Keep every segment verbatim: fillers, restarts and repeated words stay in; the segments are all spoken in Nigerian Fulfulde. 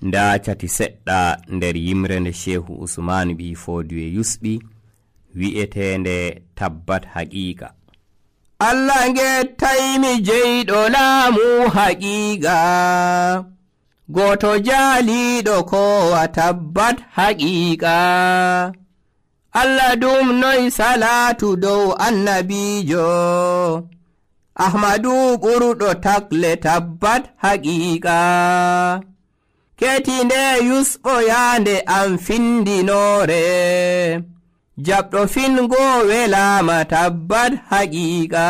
nda cati seɗɗa nder yimre nde Shehu Usmanu bi Fodiwe yusɓi wi'etende tabbat haqiqa. Allah gettaymi jeyɗo laamu haqiqa, goto jaaliɗo kowa tabbat haqiqa. Allah dum noy salatu dow annabijo, Ahmadu ɓurɗo takle tabbat haqiqa. Ketinde yusɓo yande am findinore, jaɓɗo fingo welama tabbat haqiqa.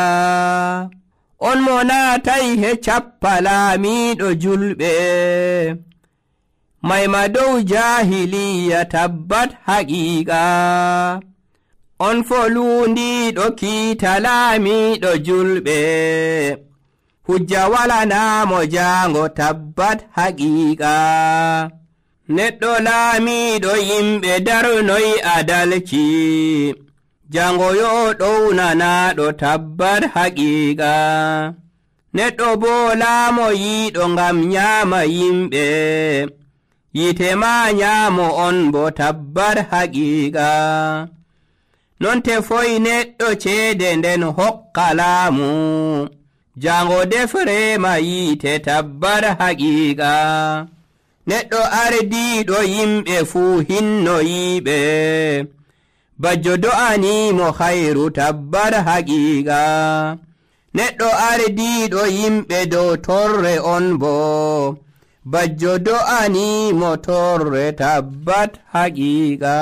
On mo natai he cappa laamiɗo julɓe, mayma dow jahiliya tabbat haqiqa. On folundiɗo kiita laamiɗo julɓe, hujja walanamo jango tabbat haqiqa. Neɗɗo laamiɗo yimɓe darnoy adalci, jango yo ɗownanaɗo tabbat haqiqa. Neɗɗo bo laamo yiɗo ngam nyama yimɓe, yite ma nyamo on bo tabbat haqiqa. Non tefoy neɗɗo ceede nden hokka laamu, jango defrema yite tabbat haqiqa. Neɗɗo ardiɗo yimɓe fuu hinnoyiɓe, bajjo do'animo khairu tabbat haqiqa. Neɗɗo ardiɗo yimɓe dow torre on bo, bajjo do'animo torre tabbat haqiqa.